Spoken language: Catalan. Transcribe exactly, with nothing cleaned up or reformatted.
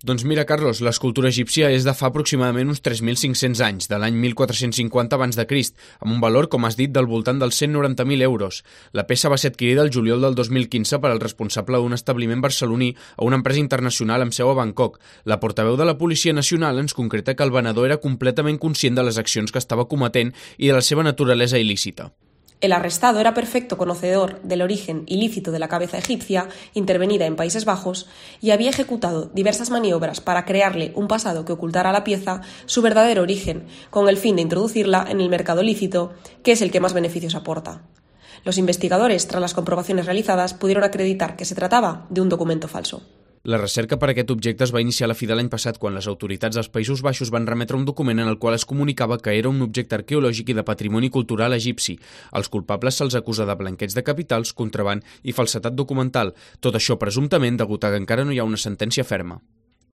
Doncs mira, Carlos, l'escultura egípcia és de fa aproximadament uns tres mil cinc-cents anys, de l'any mil quatre-cents cinquanta abans de Crist, amb un valor, com has dit, del voltant dels cent noranta mil euros. La peça va ser adquirida el juliol del dos mil quinze per al responsable d'un establiment barceloní a una empresa internacional amb seu a Bangkok. La portaveu de la Policia Nacional ens concreta que el venedor era completament conscient de les accions que estava cometent i de la seva naturalesa il·lícita. El arrestado era perfecto conocedor del origen ilícito de la cabeza egipcia intervenida en Países Bajos y había ejecutado diversas maniobras para crearle un pasado que ocultara a la pieza su verdadero origen, con el fin de introducirla en el mercado lícito, que es el que más beneficios aporta. Los investigadores, tras las comprobaciones realizadas, pudieron acreditar que se trataba de un documento falso. La recerca per a aquest objecte es va iniciar a la fi de l'any passat quan les autoritats dels Països Baixos van remetre un document en el qual es comunicava que era un objecte arqueològic i de patrimoni cultural egipci. Als culpables se'ls acusa de blanqueig de capitals, contraban i falsedat documental. Tot això presumptament degut a que encara no hi ha una sentència ferma.